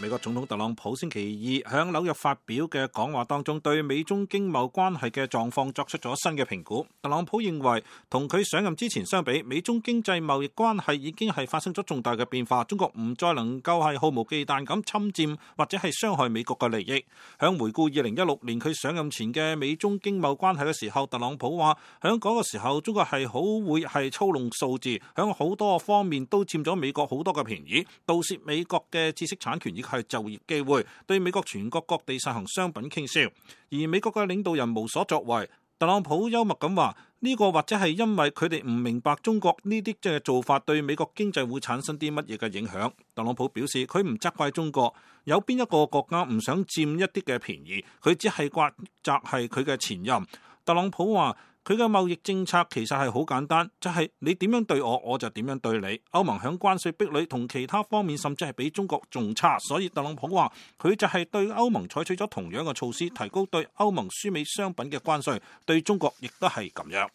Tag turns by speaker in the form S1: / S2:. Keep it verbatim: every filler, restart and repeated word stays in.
S1: 美國總統特朗普星期二喺紐約發表嘅講話當中，對美中經貿關係嘅狀況作出咗新嘅評估。特朗普認為，同佢上任之前相比，美中經濟貿易關係已經係發生咗重大嘅變化。中國唔再能夠係毫無忌憚咁侵佔或者係傷害美國嘅利益。響回顧二零一六年佢上任前嘅美中經貿關係嘅時候，特朗普話響嗰個時候，中國係好會係操弄數字，響好多方面都佔咗美國好多嘅便宜，盜竊美國嘅知識產權以及係就業機會，對美國全國各地實行商品傾銷，而美國嘅領導人無所作為。特朗普幽默咁話：呢個或者係因為佢哋唔明白中國呢啲即係做法對美國經濟會產生啲乜嘢嘅影響。特朗普表示佢唔責怪中國，有邊一個國家唔想佔一啲嘅便宜，佢只係怪責係佢嘅前任。特朗普話：佢嘅貿易政策其實係好簡單，就係你點樣對我，我就點樣對你。歐盟響關稅壁壘同其他方面甚至係比中國仲差，所以特朗普話佢就係對歐盟採取咗同樣嘅措施，提高對歐盟輸美商品嘅關稅，對中國亦都係咁樣。